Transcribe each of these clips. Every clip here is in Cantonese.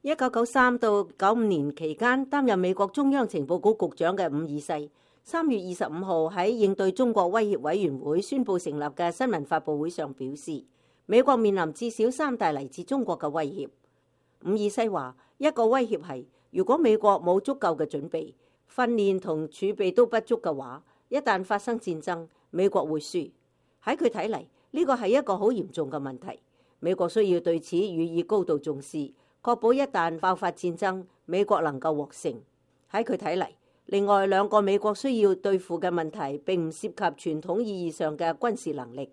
1993到95年期間擔任美國中央情報局局長嘅伍爾西，3月25號喺應對中國威脅委員會宣布成立嘅新聞發佈會上表示，美國面臨至少3大嚟自中國嘅威脅。伍爾西話，一個威脅係如果美國冇足夠嘅準備、訓練同儲備都不足嘅話，一旦發生戰爭，美國會輸。喺佢睇嚟，呢個係一個好嚴重嘅問題，美國需要對此予以高度重視，確保一旦爆發戰爭，美國能夠獲勝。喺佢睇嚟，另外2個美國需要對付嘅問題並唔涉及傳統意義上嘅軍事能力。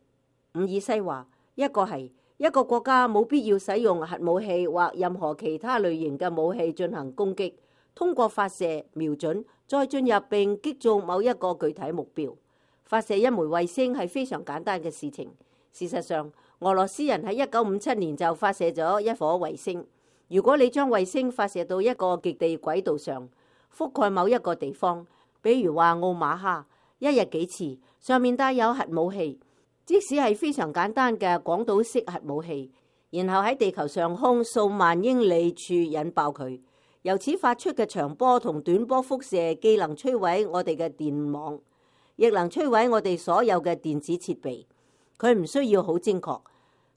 伍爾西話，一個係一個國家冇必要使用核武器或任何其他類型嘅武器進行攻擊，通過發射、瞄準，再進入並擊中某一個具體目標。發射一枚衛星係非常簡單嘅事情。事實上，俄羅斯人喺1957年就發射咗一顆衛星。如果你將衛星發射到一個極地軌道上，覆蓋某一個地方，比如話奧馬哈，一日幾次，上面帶有核武器，即使係非常簡單嘅廣島式核武器，然後喺地球上空數萬英里處引爆佢，由此發出嘅長波同短波輻射既能摧毀我哋嘅電網，亦能摧毀我哋所有嘅電子設備。佢唔需要好精確，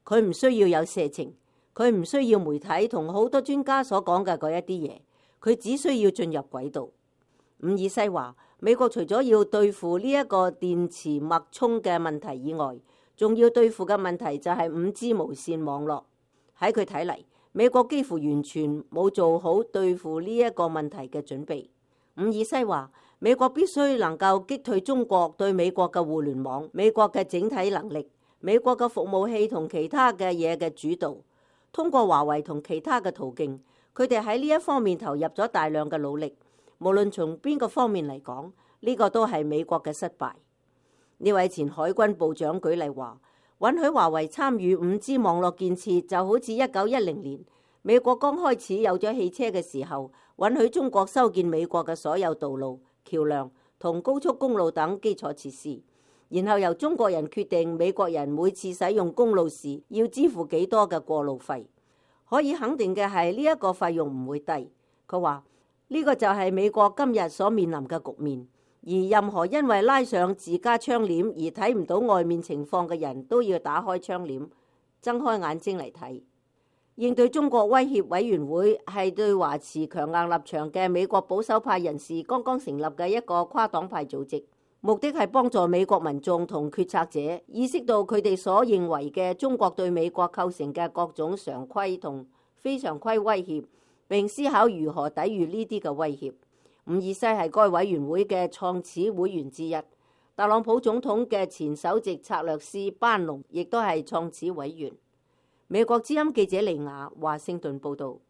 佢唔需要有射程，佢唔需要媒體同好多專家所講嘅嗰一啲嘢，佢只需要進入軌道。伍爾西話，美國除咗要對付呢一個電磁脈衝嘅問題以外，仲要對付嘅問題就係5G 無線網絡。喺佢睇嚟，美國幾乎完全冇做好對付呢一個問題嘅準備。伍爾西話，美國必須能夠擊退中國對美國嘅互聯網、美國嘅整體能力、美國嘅服務器同其他嘅嘢嘅主導。通過華為同其他嘅途徑，佢哋喺呢一方面投入咗大量嘅努力。無論從邊個方面嚟講，呢個都係美國嘅失敗。呢位前海軍部長舉例話，允許華為參與5G 網絡建設，就好似1910年美國剛開始有咗汽車嘅時候，允許中國修建美國嘅所有道路、橋梁同高速公路等基礎設施，然後由中國人決定美國人每次使用公路時要支付幾多嘅過路費。可以肯定嘅係，呢一個費用唔會低。佢話呢個就係美國今日所面臨嘅局面，而任何因為拉上自家窗簾而睇唔到外面情況嘅人都要打開窗簾，睜開眼睛嚟睇。應對中國威脅委員會係對華持強硬立場嘅美國保守派人士剛剛成立嘅一個跨黨派組織，目的係幫助美國民眾同決策者意識到佢哋所認為嘅中國對美國構成嘅各種常規同非常規威脅，並思考如何抵禦呢啲嘅威脅。伍爾西係該委員會嘅創始會員之一，特朗普總統嘅前首席策略師班農亦都係創始委員。美國之音記者利亞華盛頓報道。